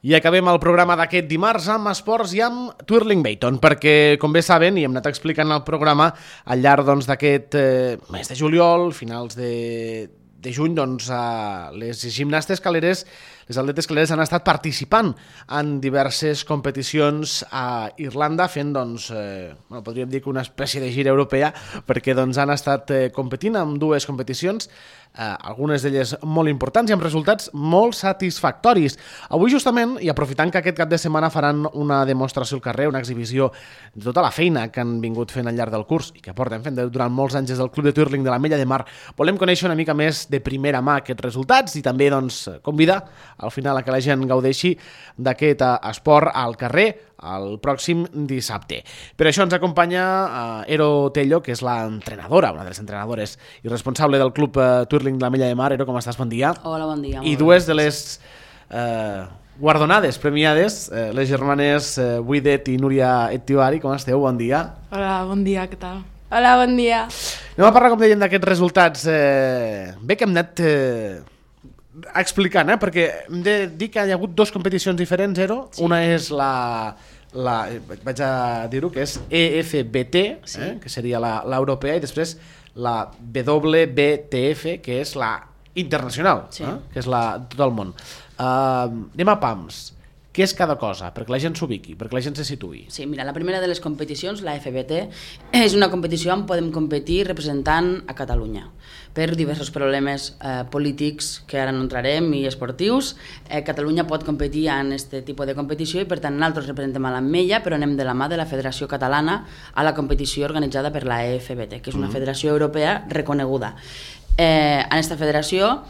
I acabem el programa d'aquest dimarts amb esports i amb Twirling Bayton, perquè, com bé saben, i hem anat explicant el programa al llarg d'aquest mes de juliol, finals de juny, les gimnastes caleres, les atletes caleres han estat participant en diverses competicions a Irlanda, fent, podríem dir que una espècie de gira europea, perquè han estat competint en dues competicions, algunes d'elles molt importants i amb resultats molt satisfactoris. Avui justament, i aprofitant que aquest cap de setmana faran una demostració al carrer, una exhibició de tota la feina que han vingut fent al llarg del curs i que porten fent durant molts anys des del Club de Twirling de l'Ametlla de Mar, volem conèixer una mica més de primera mà aquests resultats i també convidar al final a que la gent gaudeixi d'aquest esport al carrer el pròxim dissabte. Per això ens acompanya Ero Tello, que és l'entrenadora, una de les entrenadores i responsable del Club Twirling de l'Ametlla de Mar. Ero, com estàs? Bon dia. Hola, bon dia. I dues de les guardonades, premiades, les germanes Buidet i Núria Ettivari. Com esteu? Bon dia. Hola, bon dia, què tal? Hola, bon dia. Anem a parlar, com dèiem, d'aquests resultats. Bé que hem anat explicant, perquè hem de dir que hi ha hagut dues competicions diferents, Ero. Sí. Una és vaig a dir-ho, que és EFBT, sí. Que seria l'europea, i després la WBTF, que és la internacional, sí. Que és la de tot el món. Anem a pams. Què és cada cosa? Perquè la gent s'ubiqui, perquè la gent se situï. Sí, mira, la primera de les competicions, la FBT, és una competició on podem competir representant a Catalunya. Per diversos problemes polítics que ara no entrarem i esportius, Catalunya pot competir en aquest tipus de competició i per tant nosaltres representem a l'Ametlla, però anem de la mà de la Federació Catalana a la competició organitzada per la EFBT, que és una federació europea reconeguda. En aquesta federació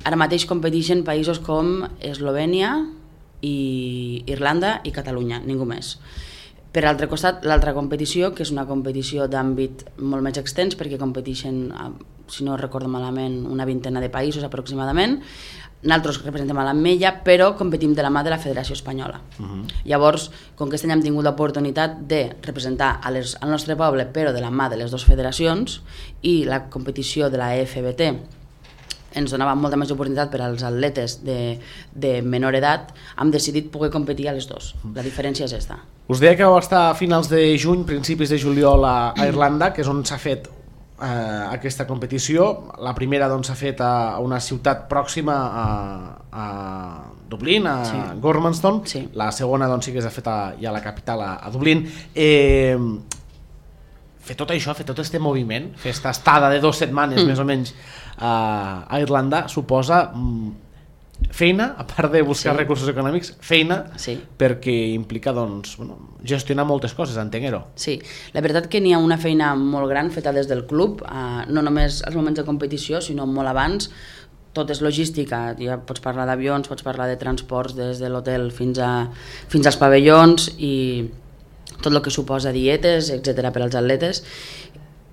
ara mateix competeixen països com Eslovènia, i Irlanda i Catalunya, ningú més. Per altre costat, l'altra competició, que és una competició d'àmbit molt més extens, perquè competeixen, si no recordo malament, una vintena de països aproximadament. Nosaltres representem a l'Ametlla, però competim de la mà de la Federació Espanyola. Llavors, com que aquest any hem tingut l'oportunitat de representar al nostre poble, però de la mà de les dues federacions, i la competició de la EFBT ens donava molta més oportunitat per als atletes de menor edat, hem decidit poder competir a les dues. La diferència és aquesta. Us deia que vau estar a finals de juny, principis de juliol a Irlanda, que és on s'ha fet aquesta competició. La primera s'ha fet a una ciutat pròxima a Dublín, a Gormanston. Sí. La segona sí que s'ha fet ja a la capital, a Dublín. Fer tot això, fer tot aquest moviment, fer aquesta estada de 2 setmanes més o menys a Irlanda suposa feina, a part de buscar recursos econòmics, feina, perquè implica gestionar moltes coses, entenc-ho. Sí, la veritat que n'hi ha una feina molt gran feta des del club, no només als moments de competició, sinó molt abans. Tot és logística, ja pots parlar d'avions, pots parlar de transports des de l'hotel fins als pavellons i tot el que suposa dietes, etc. per als atletes.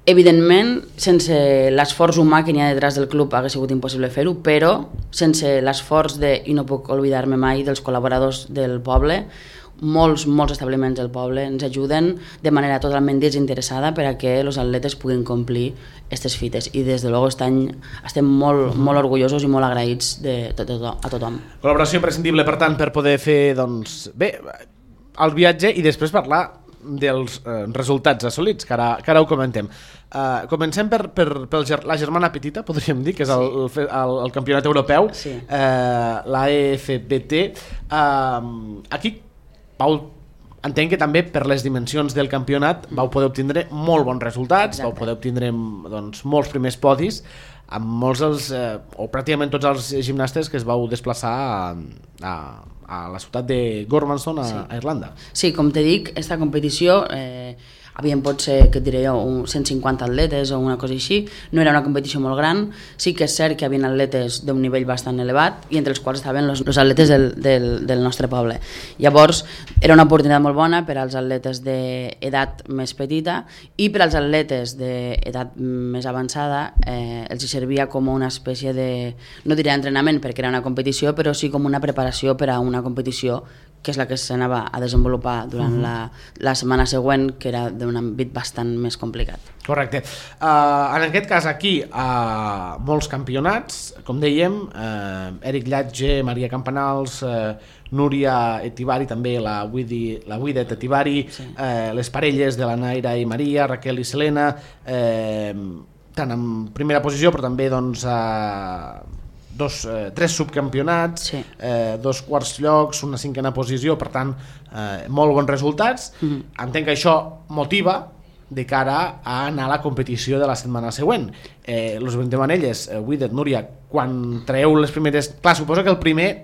Evidentment, sense l'esforç humà que n'hi ha detrás del club hauria sigut impossible fer-ho, però sense l'esforç i no puc oblidar-me mai, dels col·laboradors del poble, molts establiments del poble ens ajuden de manera totalment desinteressada per a que els atletes puguin complir aquestes fites, i des de luego aquest any estem molt orgullosos i molt agraïts a tothom. Col·laboració imprescindible, per tant, per poder fer el viatge i després parlar dels resultats assolits, que ara ho comentem. Comencem per la germana petita, podríem dir, que és el campionat europeu, la EFBT. Aquí entenc que també per les dimensions del campionat vau poder obtindre molt bons resultats. Exacte. Vau poder obtindre molts primers podis amb molts o pràcticament tots els gimnastes que es vau desplaçar a la ciutat de Gormanston, a Irlanda. Sí, com te dic, aquesta competició havien potser, què et diré jo, 150 atletes o una cosa així, no era una competició molt gran, sí que és cert que hi havia atletes d'un nivell bastant elevat i entre els quals estaven els atletes del nostre poble. Llavors, era una oportunitat molt bona per als atletes d'edat més petita i per als atletes d'edat més avançada els servia com una espècie de, no diré entrenament perquè era una competició, però sí com una preparació per a una competició que és la que s'anava a desenvolupar durant la setmana següent, que era d'un àmbit bastant més complicat. Correcte. En aquest cas aquí, molts campionats, com dèiem, Eric Llatge, Maria Campanals, Núria Etivari, també la Widet Etivari, les parelles de la Naira i Maria, Raquel i Selena, tant en primera posició, però també doncs, tres subcampionats, 2 quarts llocs, una 5a posició, per tant, molt bons resultats. Entenc que això motiva de cara a anar a la competició de la setmana següent. Los 20 manelles, Widet, Núria, quan traeu les primeres... Clar, suposo que el primer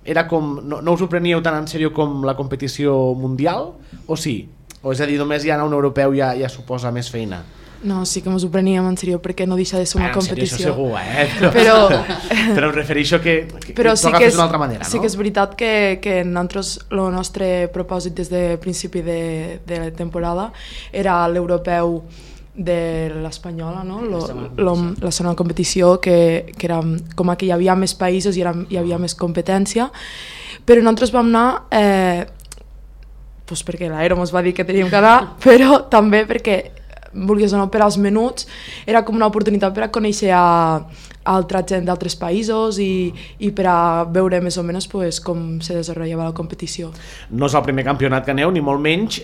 era com... No us ho preníeu tan en sèrio com la competició mundial, o sí? O és a dir, només ja anar a un europeu ja suposa més feina? No, sí que ens ho preníem en sèrio perquè no deixa de ser una competició. En sèrio, això segur, però em refereixo que però sí que d'una altra manera, no? Sí que és veritat que nosaltres, el nostre propòsit des de principi de la temporada era l'europeu de l'Espanyola, no? La segona competició, que era com que hi havia més països i hi havia més competència, però nosaltres vam anar perquè l'Aero ens va dir que teníem que anar, però també perquè vulguis o no, per als menuts era com una oportunitat per a conèixer altra gent d'altres països i per a veure més o menys com se desenvolupava la competició. No és el primer campionat que aneu, ni molt menys.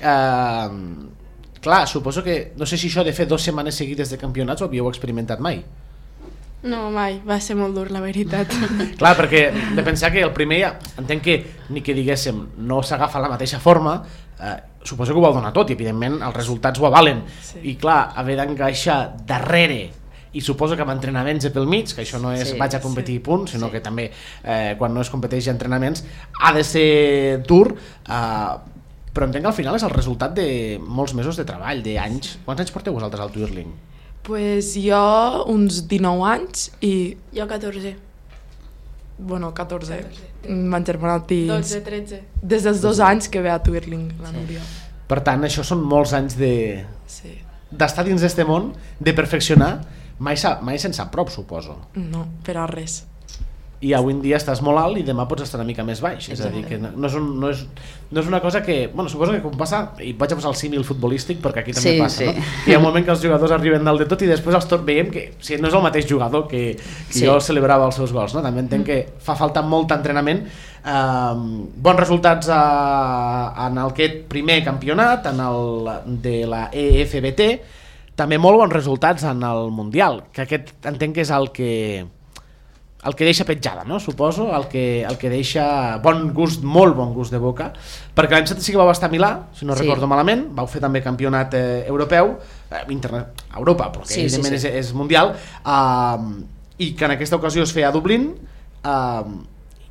Clar, suposo que, no sé si això de fer 2 setmanes seguides de campionats ho havíeu experimentat mai. No, mai, va ser molt dur, la veritat. Clar, perquè de pensar que el primer, entenc que ni que diguéssim no s'agafa la mateixa forma, suposo que ho vau donar tot i evidentment els resultats ho avalen, i clar, haver d'encaixar darrere i suposo que amb entrenaments pel mig, que això no és vaig a competir i punt, sinó que també quan no es competeix a entrenaments ha de ser dur, però entenc que al final és el resultat de molts mesos de treball, d'anys. Quants anys porteu vosaltres al Twirling? Pues jo uns 19 anys i... Jo 14. Bueno, 14. M'han germanat i... 12, 13. Des dels 2 anys que ve a Twirling, la Núria. Per tant, això són molts anys d'estar dins d'este món, de perfeccionar. Mai se'n sap prop, suposo. No, per a res. I avui en dia estàs molt alt i demà pots estar una mica més baix. És a dir, que no és una cosa que... Bueno, suposo que com passa, i vaig a posar el símil futbolístic perquè aquí també passa, no? Hi ha un moment que els jugadors arriben dalt de tot i després veiem que no és el mateix jugador que jo celebrava els seus gols, no? També entenc que fa falta molt entrenament. Bons resultats en aquest primer campionat, en el de la EFBT, també molt bons resultats en el Mundial, que aquest entenc que és el que deixa petjada, no? Suposo, el que deixa molt bon gust de boca, perquè l'any 7 sí que vau estar a Milà, si no recordo malament, vau fer també campionat europeu, a Europa, però que evidentment és mundial, i que en aquesta ocasió es feia a Dublín,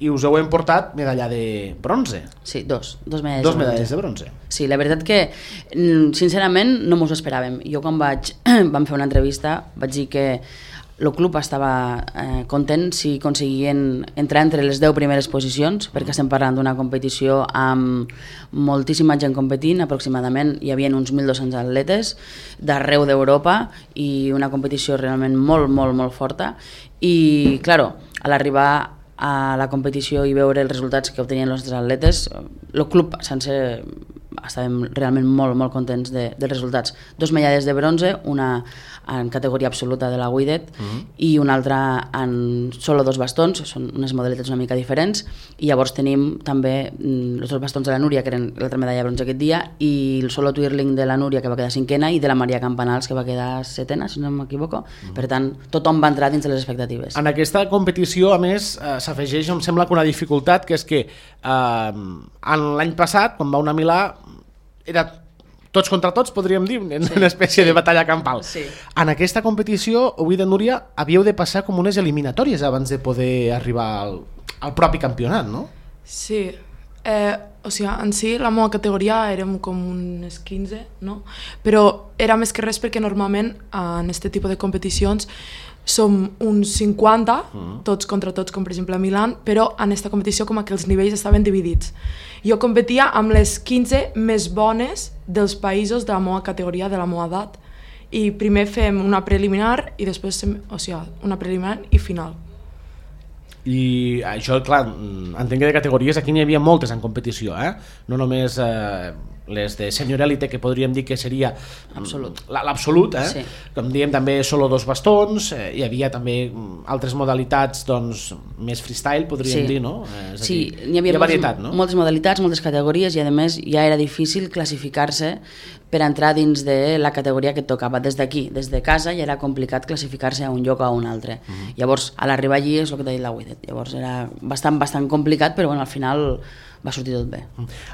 i us heu emportat medalla de bronze. Sí, dos medalles. Dos medalles de bronze. Sí, la veritat que sincerament no mos ho esperàvem. Jo quan vam fer una entrevista vaig dir que el club estava content si aconseguien entrar entre les 10 primeres posicions, perquè estem parlant d'una competició amb moltíssima gent competint, aproximadament hi havia uns 1.200 atletes d'arreu d'Europa i una competició realment molt, molt, molt forta. I, claro, a l'arribar a la competició i veure els resultats que obtenien els nostres atletes, el club sencer estàvem realment molt, molt contents dels resultats. 2 medalles de bronze, una en categoria absoluta de la Widet i una altra en solo 2 bastons, són unes modalitats una mica diferents, i llavors tenim també els 2 bastons de la Núria, que eren l'altra medalla de bronze aquest dia, i el solo twirling de la Núria, que va quedar 5a, i de la Maria Campanals, que va quedar 7a, si no m'equivoco. Per tant, tothom va entrar dins de les expectatives. En aquesta competició, a més, s'afegeix, em sembla que una dificultat, que és que l'any passat, quan va anar a Milà, era tots contra tots, podríem dir, una espècie de batalla campal. Sí. En aquesta competició, Widet, Núria, havíeu de passar com unes eliminatòries abans de poder arribar al propi campionat, no? Sí, o sigui, en si la meva categoria érem com unes 15, no? Però era més que res perquè normalment en aquest tipus de competicions som uns 50, tots contra tots, com per exemple a Milà, però en aquesta competició com que els nivells estaven dividits. Jo competia amb les 15 més bones dels països de la meva categoria, de la meva edat, i primer fem una preliminar i després, o sigui, una preliminar i final. I això, clar, entenc que de categories aquí n'hi havia moltes en competició, no només les de senior elite, que podríem dir que seria l'absolut, Sí. com diem també solo 2 bastons, hi havia també altres modalitats doncs, més freestyle, podríem dir, no? És a Sí, dir, n'hi havia varietat, no? moltes modalitats, moltes categories, i a més ja era difícil classificar-se per entrar dins de la categoria que et tocava. Des d'aquí, des de casa, ja era complicat classificar-se a un lloc o a un altre. Llavors, a l'arribar allí és el que t'ha dit la Widet. Llavors era bastant complicat, però bueno, al final va sortir tot bé.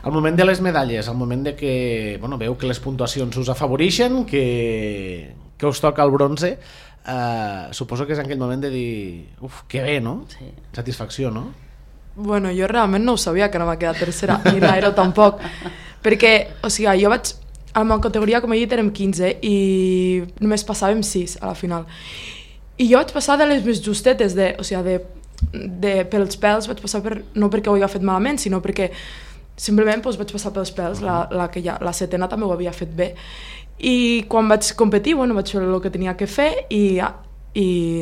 Al moment de les medalles, al moment de que veu que les puntuacions us afavoreixen, que us toca el bronze, suposo que és en aquell moment de dir uf, que bé, no? Sí. Satisfacció, no? Bueno, jo realment no ho sabia que no m'ha quedat tercera, ni l'Aero tampoc, perquè, o sigui, jo vaig... A la meva categoria, com he dit, érem 15 i només passàvem 6 a la final. I jo vaig passar de les més justetes, pels pèls, vaig passar no perquè ho havia fet malament, sinó perquè simplement vaig passar pels pèls, la setena també ho havia fet bé. I quan vaig competir, vaig fer el que tenia que fer i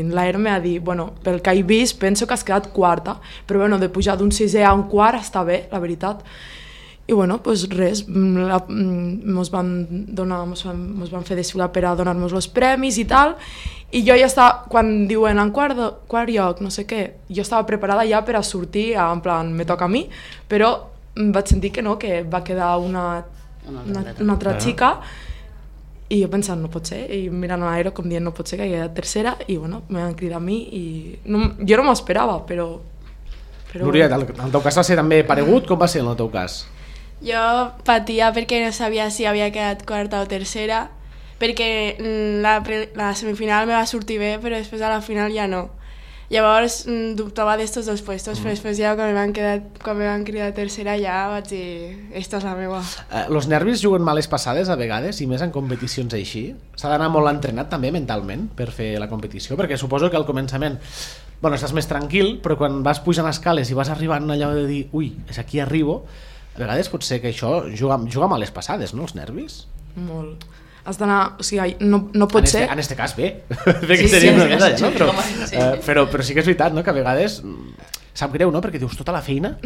l'Aero m'ha dit, pel que he vist, penso que has quedat quarta, però de pujar d'un sisè a un quart està bé, la veritat. I res, mos van fer desfilar per a donar-nos els premis i tal, i jo ja estava, quan diuen en quart lloc, no sé què, jo estava preparada ja per a sortir, en plan, me toca a mi, però vaig sentir que no, que va quedar una altra xica, i jo pensant, no pot ser, i mirant a l'Aero com dient no pot ser que hi hagi tercera, i me van cridar a mi, i jo no m'ho esperava, però... Núria, el teu cas va ser també paregut, com va ser en el teu cas? Jo patia perquè no sabia si havia quedat quarta o tercera, perquè la semifinal me va sortir bé, però després a la final ja no. Llavors dubtava d'estos dos puestos, però després ja quan me van cridar tercera ja vaig dir, esta és la meva. Los nervis juguen males passades a vegades, i més en competicions així? S'ha d'anar molt entrenat també mentalment per fer la competició, perquè suposo que al començament estàs més tranquil, però quan vas pujant escales i vas arribant allò de dir ui, és aquí arribo, a vegades pot ser que això juga males passades, no, els nervis? Molt. Has d'anar, o sigui, no pot ser... En este cas bé, perquè seria una medalla, no? Però sí que és veritat, no?, que a vegades sap greu, no?, perquè dius tota la feina,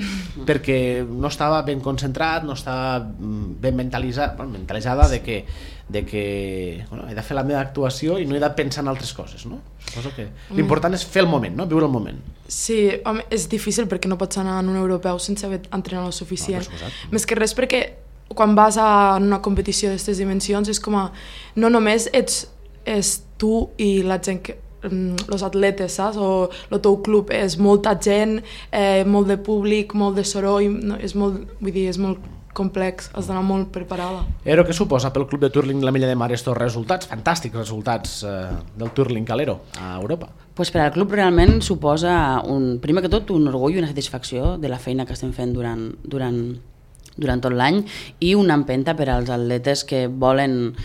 perquè no estava ben concentrat, no estava ben mentalitzada de que he de fer la meva actuació i no he de pensar en altres coses, no? Suposo que l'important és fer el moment, no?, viure el moment. Sí, home, és difícil perquè no pots anar en un europeu sense haver entrenat el suficient. Més que res perquè quan vas a una competició d'aquestes dimensions és com a... No només és tu i la gent que... els atletes, saps? O el teu club, és molta gent, molt de públic, molt de soroll, és molt complex, has d'anar molt preparada. Ero, què suposa pel club de Twirling la Milla de Mar estos resultats, fantàstics resultats del Twirling Calero a Europa? Pues per al club realment suposa, primer que tot, un orgull i una satisfacció de la feina que estem fent durant tot l'any i una empenta per als atletes que volen...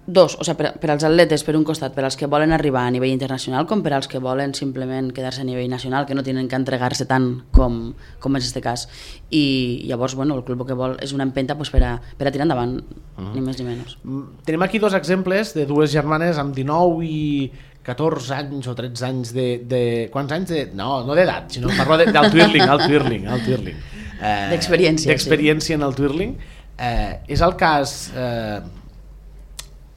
per als atletes per un costat, per als que volen arribar a nivell internacional com per als que volen simplement quedar-se a nivell nacional, que no tenen que entregar-se tant com és este cas. I llavors, el club que vol és una empenta per a tirar endavant, ni més ni menys. Tenim aquí dos exemples de dues germanes amb 19 i 14 anys o 13 anys de... Quants anys de... No d'edat, sinó parlo del twirling. D'experiència en el twirling. És el cas...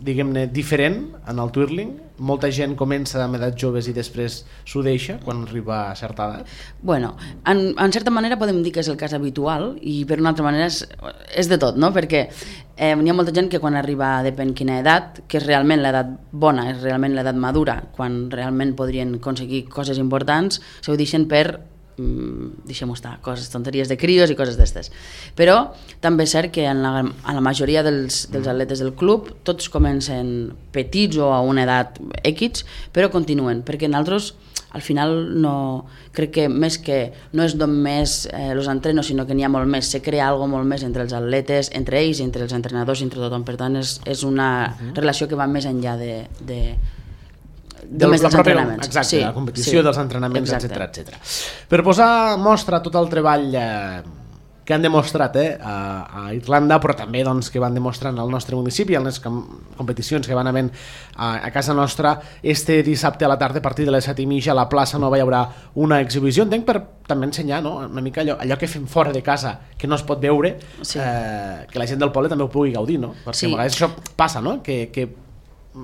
diguem-ne, diferent en el twirling? Molta gent comença amb edats joves i després s'ho deixa quan arriba a certa edat? Bueno, en certa manera podem dir que és el cas habitual i per una altra manera és de tot, no? Perquè hi ha molta gent que quan arriba, depèn quina edat, que és realment l'edat bona, és realment l'edat madura, quan realment podrien aconseguir coses importants, s'ho deixen per deixem-ho estar, coses, tonteries de crios i coses d'estes. Però també és cert que en la majoria dels atletes del club tots comencen petits o a una edat X, però continuen, perquè nosaltres al final crec que més que no és només els entrenos, sinó que n'hi ha molt més, se crea alguna molt més entre els atletes, entre ells, entre els entrenadors, entre tothom. Per tant, és una relació que va més enllà dels entrenaments. Exacte, la competició dels entrenaments, etc. Per posar mostra tot el treball que han demostrat a Irlanda, però també doncs, que van demostrant al nostre municipi, en les competicions que van havent a casa nostra. Este dissabte a la tarda, a partir de les 7:30, a la plaça Nova hi haurà una exhibició, entenc, per també ensenyar, no? Una mica allò que fem fora de casa, que no es pot veure, Sí. Que la gent del poble també ho pugui gaudir, no? Perquè Sí. a vegades això passa, no? Que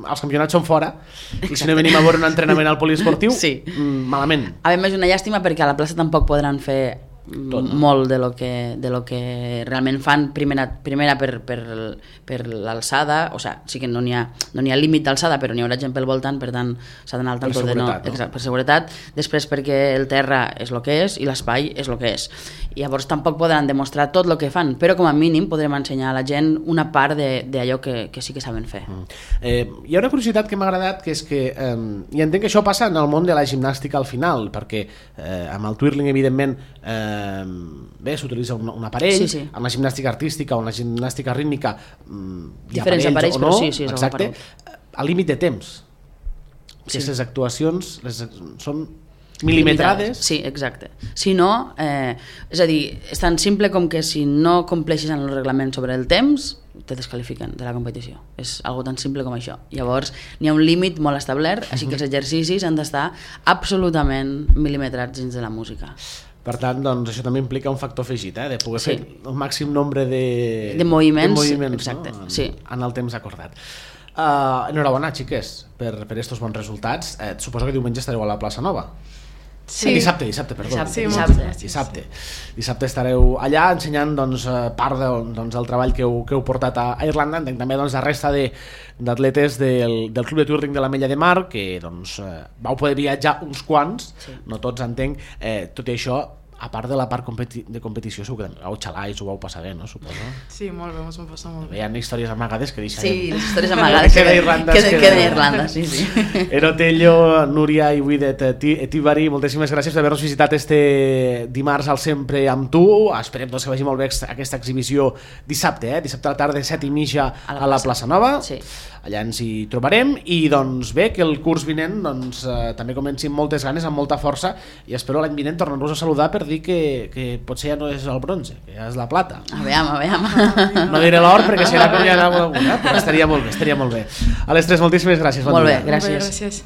els campionats són fora i si no venim a veure un entrenament al poliesportiu, Sí. malament. A més, és una llàstima perquè a la plaça tampoc podran fer Tot, no? molt de lo que realment fan primera per l'alçada, o sigui, sí que no n'hi ha límit d'alçada, però n'hi haurà gent pel voltant, per tant s'ha d'anar al Per tanto de seguretat, no? Exacte, per seguretat, després perquè el terra és el que és i l'espai és el que és. I llavors tampoc podran demostrar tot el que fan, però com a mínim podrem ensenyar a la gent una part d'allò que sí que saben fer. Hi ha una curiositat que m'ha agradat, que és que i entenc que això passa en el món de la gimnàstica al final, perquè amb el twirling evidentment bé, s'utilitza un aparell, Sí. amb la gimnàstica artística o en la gimnàstica rítmica hi ha Diferents aparells, o no, però sí, és exacte, l'aparell. al límit de temps. Sí. Aquestes actuacions són milimetrades. Sí, exacte. Si no, és a dir, és tan simple com que si no compleixes en el reglament sobre el temps, te descalifiquen de la competició. És algo tan simple com això. Llavors, n'hi ha un límit molt establert, així que els exercicis han d'estar absolutament milimetrats dins de la música. Per tant, doncs, això també implica un factor afegit, de poder Sí. fer el màxim nombre de moviments, no? exacte, sí. En el temps acordat. Enhorabona, xiques, per estos bons resultats. Suposo que diumenge estareu a la plaça Nova. Sí. Dissabte, perdó. Dissabte estareu allà ensenyant doncs, part del treball que heu portat a Irlanda. Entenc també doncs, la resta d'atletes del Club de Twirling de l'Ametlla de Mar, que doncs, vau poder viatjar uns quants, no tots entenc, tot i això, a part de la part de competició, segur que vau xalar i s'ho vau passar bé, no? Suposo. Sí, molt bé, ens ho passar molt bé. Hi ha històries amagades que deixarem. Sí, les històries amagades Queda Irlanda, queda a Irlanda, sí. Erotello, Núria i Widet Etíbari, moltíssimes gràcies per haver-nos visitat este dimarts al Sempre amb tu. Esperem doncs, que vagi molt bé aquesta exhibició dissabte, dissabte a la tarda, 7:30 a la plaça Nova. Sí. Allà ens hi trobarem i doncs bé, que el curs vinent doncs, també comenci amb moltes ganes, amb molta força, i espero l'any vinent tornar-vos a saludar per dir que potser ja no és el bronze, que ja és la plata. A veure. No diré l'or perquè serà com ja anava alguna, però estaria molt bé. A les tres, moltíssimes gràcies. Molt bé, dia. gràcies. Molt bé, gràcies.